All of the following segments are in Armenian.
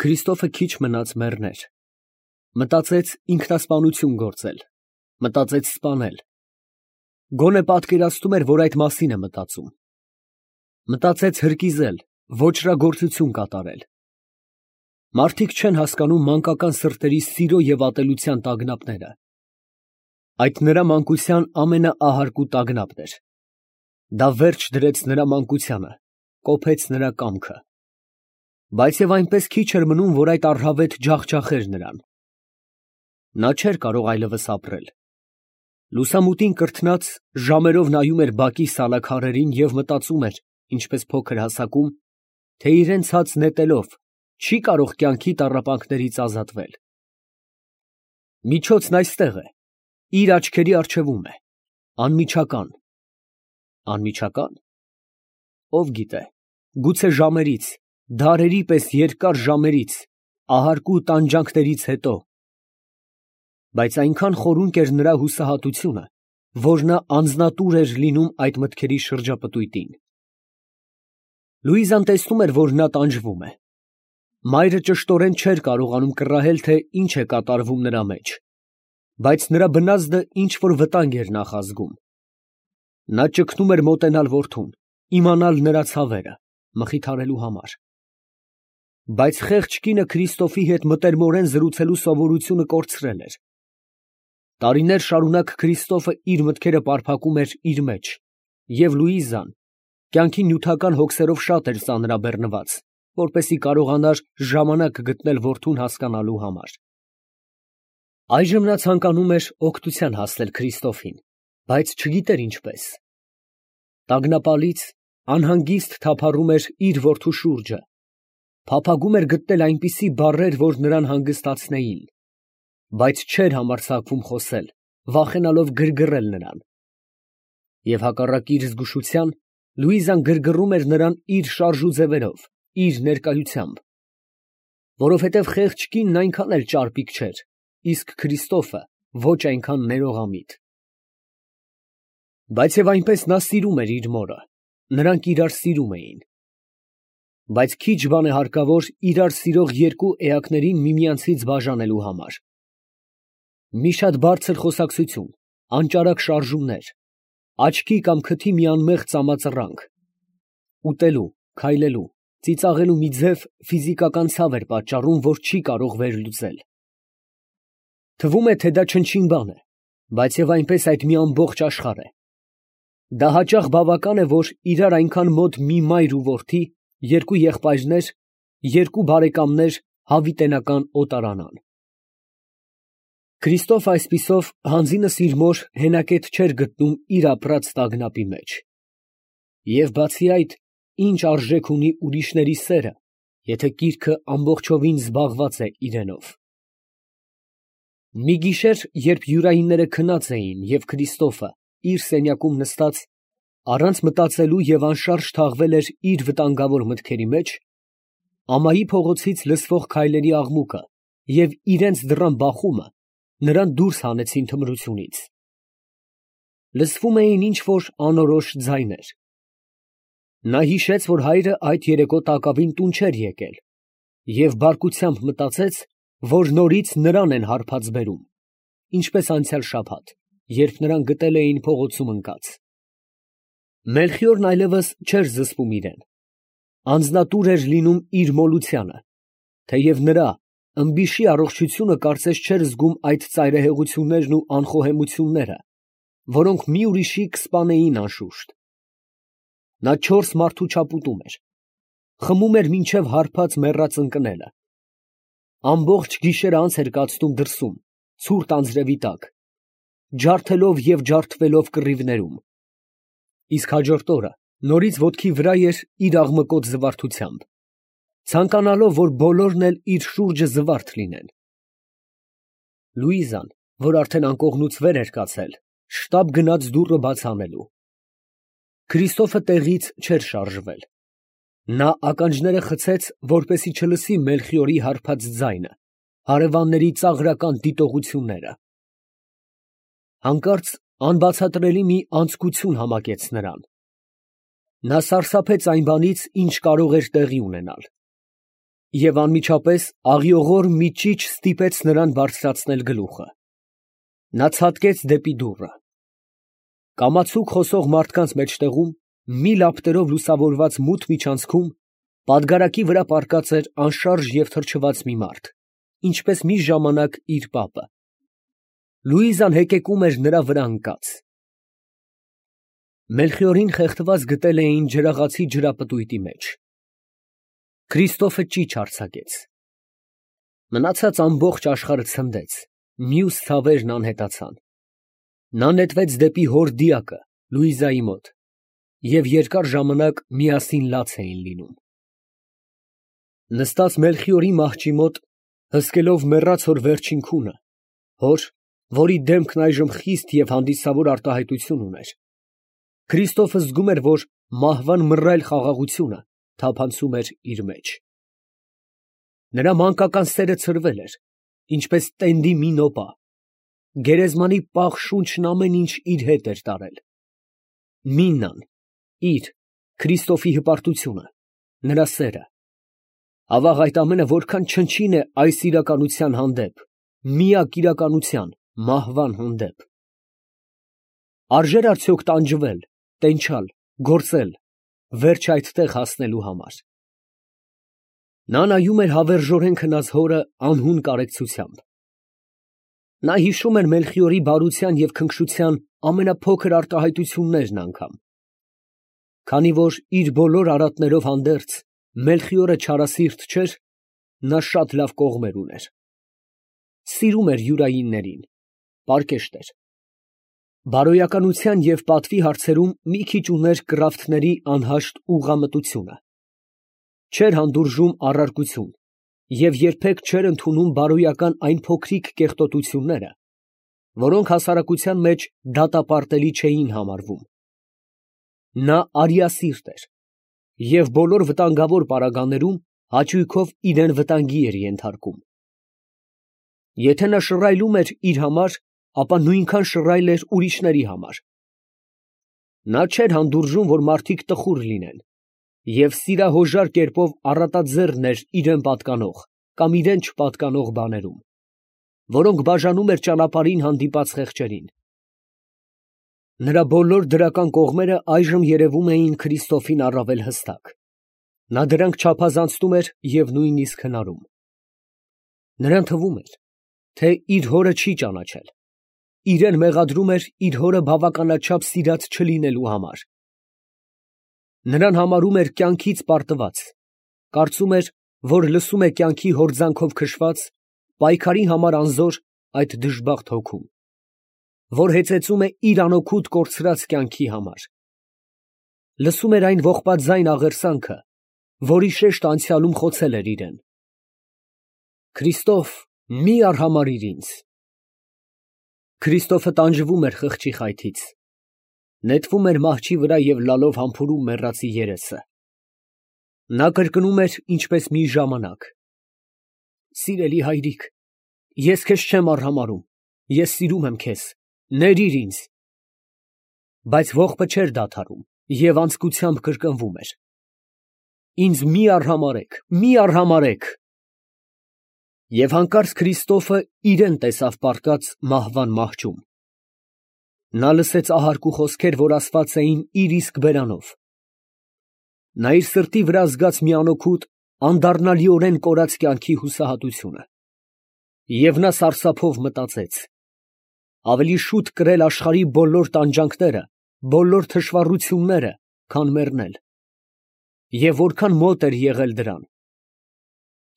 Քրիստոֆը քիչ մնաց մեռներ։ Մտածեց ինքնասպանություն գործել, մտածեց սպանել։ Գոնե պատկերացնում էր, որ այդ մասին է մտածում։ Մտածեց հրկիզել, ոճրագործություն կատարել։ Մարդիկ չեն հասկանում մանկական սրտերի սիրո և ատելության տագնապները։ Այդ նրա մանկության ամենաահարկու տագնապն էր։ Դա վերջ դրեց նրա մանկությանը, կոփեց նրա կամքը։ Բայց և այնպես քիչ էր մնում, որ այդ առհավետ ջախջախեր նրան։ Նա չէր կարող այլևս ապրել։ Լուսամուտին կրթնած, ժամերով նայում էր բակի սալաքարերին և մտածում էր, ինչպես փոքր հասակում, թե իրան ցած նետելով չի կարող կյանքի տառապանքներից ազատվել։ Միջոցն այստեղ է, իր աչքերի առջևում է, անմիջական։ Անմիջակա՞ն։ Ով գիտե, գուցե ժամերից, դարերի պես երկար ժամերից, ահարկու տանջանքներից հետո։ Բայց այնքան խորունկ էր նրա հուսահատությունը, որ նա անձնատուր էր լինում այդ մտքերի շրջապտույտին։ Լուիզան տեսնում էր, որ նա տանջվում է։ Մայրը ճշտորեն չէր կարողանում կռահել, թե ինչ է կատարվում նրա մեջ, բայց նրա բնազդը ինչ֊որ վտանգ էր նախազգում։ Նա ճգնում էր մոտենալ որդուն, իմանալ նրա ցավերը, մխիթարելու համար։ Բայց խեղճ կինը Քրիստոֆի հետ մտերմորեն զրուցելու սովորությունը կորցրել էր։ Տարիներ շարունակ Քրիստոֆը իր մտքերը պարփակում էր իր մեջ, և Լուիզան կյանքի նյութական հոգսերով շատ էր ծանրաբեռնված, որպեսզի կարողանար ժամանակ գտնել որդուն հասկանալու համար։ Այժմ նա ցանկանում էր օգնության հասնել Քրիստոֆին, բայց չգիտեր ինչպես։ Տագնապալից, անհանգիստ թափառում էր իր որդու շուրջը, փափագում էր գտնել այնպիսի բառեր, որ նրան հանգստացնեին, բայց չէր համարձակվում խոսել, վախենալով գրգռել նրան։ Եվ հակառակ իր զգուշության, Լուիզան գրգռում էր նրան իր շարժու ձևերով, իր ներկայությամբ, որովհետև խեղճ կինն այնքան էլ ճարպիկ չէր, իսկ Քրիստոֆը ոչ այնքան ներողամիտ։ Բայց և այնպես նա սիրում էր իր մորը, նրանք իրար սիրում էին։ Բայց քիչ բան է հարկավոր իրար սիրող երկու էակներին միմյանցից բաժանելու համար։ Մի շատ բարձր խոսակցություն, անճարակ շարժումներ, աչքի կամ քթի մի անմեղ ծամածռանք, ուտելու, քայլելու, ծիծաղելու մի ձև ֆիզիկական ցավ էր պատճառում, որ չի կարող վերլուծել։ Թվում է, թե դա չնչին բան է, բայց և այնպես այդ մի ամբողջ աշխարհ է։ Դա հաճախ բավական է, որ իրար այնքան մոտ մի մայր ու որդի, երկու եղբայրներ, երկու բարեկամներ հավիտենական օտարանան։ Քրիստոֆը այսպիսով հանձինս իր մոր հենակետ չէր գտնում իր ապրած տագնապի մեջ։ Եվ բացի այդ, ինչ արժեք ունի ուրիշների սերը, եթե կիրքը ամբողջովին զբաղված է իրենով։ Մի գիշեր, երբ յուրայինները քնած էին և Քրիստոֆը իր սենյակում նստած, առանց մտածելու և անշարժ թաղվել էր իր վտանգավոր մտքերի մեջ, ամայի փողոցից լսվող քայլերի աղմուկը և իրենց դռան բախումը նրան դուրս հանեցին թմրությունից։ Լսվում էին ինչ֊որ անորոշ ձայներ։ Նա հիշեց, որ հայրը այդ երեկո տակավին տուն չէր եկել, և բարկությամբ մտածեց, որ նորից նրան են հարբած բերում, ինչպես անցյալ շաբաթ, երբ նրան գտել էին փողոցում ընկած։ Մելխիորն այլևս չէր զսպում իրեն, անձնատուր էր լինում իր մոլությանը, թեև նրա ըմբիշի առողջությունը կարծես չէր զգում այդ ծայրահեղություններն ու անխոհեմությունները, որոնք մի ուրիշի կսպանեին անշուշտ։ Նա 4 մարդու չափ ուտում էր, խմում էր մինչև հարբած մեռած ընկնելը։ Ամբողջ գիշերը անց էր կացնում դրսում, ցուրտ անձրևի տակ, ջարդելով և ջարդվելով կռիվներում։ Իսկ հաջորդ օրը նորից ոտքի վրա էր իր աղմկոտ զվարթությամբ, ցանկանալով, որ բոլորն էլ իր շուրջը զվարթ լինեն։ Լուիզան, որ արդեն անկողնուց վեր էր կացել, շտապ գնաց դուռը բաց անելու։ Քրիստոֆը տեղից չէր շարժվել։ Նա ականջները խցեց, որպեսզի չլսի Մելխիորի հարբած ձայնը, հարևանների ծաղրական դիտողությունները։ Հանկարծ անբացատրելի մի անձկություն համակեց նրան։ Նա սարսափեց այն բանից, ինչ կարող էր տեղի ունենալ։ և անմիջապես աղիողոր մի ճիչ ստիպեց նրան բարձրացնել գլուխը. նա ցատկեց դեպի դուռը։ Կամացուկ խոսող մարդկանց մեջտեղում, մի լապտերով լուսավորված մութ միջանցքում, պատգարակի վրա պառկած էր անշարժ և թրջված մի մարդ, ինչպես մի ժամանակ իր պապը։ Լուիզան հեկեկում էր նրա վրա ընկած։ Մելխիորին խեղդված գտել էին ջրաղացի ջրապտույտի մեջ։ Քրիստոֆը ճիչ արձակեց։ Մնացած ամբողջ աշխարհը ցնդեց, մյուս ցավերն անհետացան։ Նա նետվեց դեպի հոր դիակը, Լուիզայի մոտ, և երկար ժամանակ միասին լաց էին լինում։ Նստած Մելխիորի մահճի մոտ, հսկելով մեռած հոր վերջին քունը, հոր, որի դեմքն այժմ խիստ և հանդիսավոր արտահայտություն ուներ, Քրիստոֆը զգում էր, որ մահվան մռայլ խաղաղությունը թափանցում էր իր մեջ։ Նրա մանկական սերը ցրվել էր, ինչպես տենդի մի նոպա, գերեզմանի պաղ շունչն ամեն ինչ իր հետ էր տարել։ Միննան, իր, Քրիստոֆի հպարտությունը, նրա սերը, ավաղ այդ ամենը որքան չնչին է այս իրականության հանդեպ, միակ իրականության, մահվան հանդեպ։ Արժե՞ր արդյոք տանջվել, տենչալ, գործել, վերջ այդտեղ հասնելու համար։ Նա նայում էր հավերժորեն քնած հորը անհուն կարեկցությամբ։ Նա հիշում էր Մելխիորի բարության և քնքշության ամենափոքր արտահայտություններն անգամ։ Քանի որ իր բոլոր արատներով հանդերձ Մելխիորը չարասիրտ չէր, նա շատ լավ կողմեր ուներ։ Սիրում էր յուրայիններին, պարկեշտ էր։ Բարոյականության և պատվի հարցերում մի քիչ ուներ կռավթների անհաշտ ուղղամտությունը։ Չէր հանդուրժում առարկություն և երբեք չէր ընդունում բարոյական այն փոքրիկ կեղտոտությունները, որոնք հասարակության մեջ դատապարտելի չէին համարվում։ Նա արիասիրտ էր և բոլոր վտանգավոր պարագաներում հաճույքով իրան վտանգի էր ենթարկում։ Եթե նա շռայլում էր իր համար, ապա նույնքան շռայլ էր ուրիշների համար։ Նա չէր հանդուրժում, որ մարդիկ տխուր լինեն, և սիրահոժար կերպով առատաձեռն էր իրան պատկանող կամ իրան չպատկանող բաներում, որոնք բաժանում էր ճանապարհին հանդիպած խեղճերին։ Նրա բոլոր դրական կողմերը այժմ երևում էին Քրիստոֆին առավել հստակ. նա դրանք չափազանցնում էր և նույնիսկ հնարում։ Նրան թվում էր, թե իր հորը չի ճանաչել, իրան մեղադրում էր իր հորը բավականաչափ սիրած չլինելու համար։ Նրան համարում էր կյանքից պարտված, կարծում էր, որ լսում է կյանքի հորձանքով քշված, պայքարի համար անզոր այդ դժբախտ հոգուն, որ հեծեծում է իր անօգուտ կորցրած կյանքի համար։ Լսում էր այն ողբաձայն աղերսանքը, որի շեշտը անցյալում խոցել էր իրան. «Քրիստո՛վ, մի արհամարհիր ինձ»։ Քրիստոֆը տանջվում էր խղճի խայթից, նետվում էր մահճի վրա և լալով համբուրում մեռածի երեսը։ Նա կրկնում էր ինչպես մի ժամանակ. «Սիրելի հայրիկ, ես քեզ չեմ արհամարհում, ես սիրում եմ քեզ, ներիր ինձ»։ Բայց ողբը չէր դադարում և անձկությամբ կրկնվում էր. «Ինձ մի արհամարհեք, մի արհամարհեք»։ Եվ հանկարծ Քրիստոֆը իրան տեսավ պառկած մահվան մահճում։ Նա լսեց ահարկու խոսքեր, որ ասված էին իր իսկ բերանով։ Նա իր սրտի վրա զգաց մի անօգուտ, անդառնալիորեն կորած կյանքի հուսահատությունը։ Եվ նա սարսափով մտածեց. ավելի շուտ կրել աշխարհի բոլոր տանջանքները, բոլոր թշվառությունները, քան մեռնել։ Եվ որքան մոտ էր եղել դրան։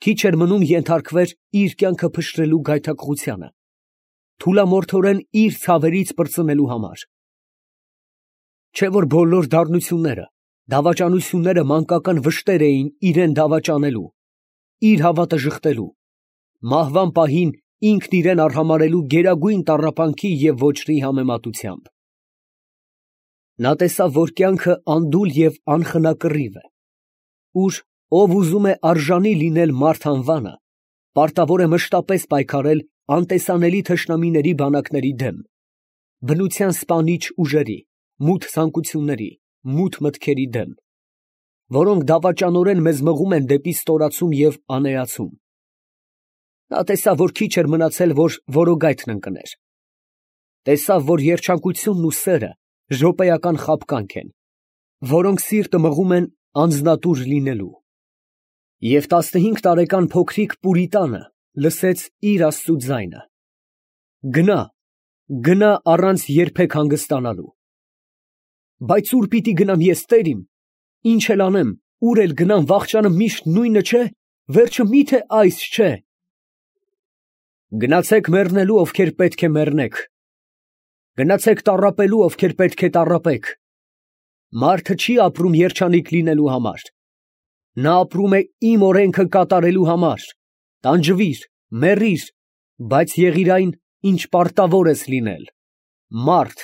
Քիչ էր մնում ենթարկվեր իր կյանքը փշրելու գայթակղությանը, թուլամորթորեն իր ցավերից պրծնելու համար։ Չէ՞ որ բոլոր դառնությունները, դավաճանությունները մանկական վշտեր էին իրան դավաճանելու, իր հավատը ժխտելու, մահվան պահին ինքն իրան արհամարհելու գերագույն տառապանքի և ոճրի համեմատությամբ։ Նա տեսավ, որ կյանքը անդուլ և անխնակռիվ է, ուր ով ուզում է արժանի լինել մարդ անվանը, պարտավոր է մշտապես պայքարել անտեսանելի թշնամիների բանակների դեմ, բնության սպանիչ ուժերի, մութ ցանկությունների, մութ մտքերի դեմ։ որոնք դավաճանորեն մեզ մղում են դեպի ստորացում և անեացում։ Նա տեսավ, որ քիչ էր մնացել, որ որոգայթն ընկներ։ Տեսավ, որ երջանկությունն ու սերը րոպեական խաբկանք են, որոնք սիրտը մղում են անձնատուր լինելու։ Եվ 15 տարեկան փոքրիկ Պուրիտանը լսեց իր Աստծու ձայնը. «Գնա, գնա առանց երբեք հանգստանալու»։ Բայց ո՞ւր պիտի գնամ ես, Տեր իմ, ինչ էլ անեմ, ուր էլ գնամ, վախճանը միշտ նույնը չէ, վերջը մի՞թե այս չէ։ Գնացեք մեռնելու, ովքեր պետք է մեռնեք. գնացեք տառապելու, ովքեր պետք է տառապեք։ Մարդը չի ապրում երջանիկ լինելու համար, նա ապրում է իմ օրենքը կատարելու համար։ Տանջվիր, մեռիր, բայց եղիր այն, ինչ պարտավոր ես լինել, մարդ,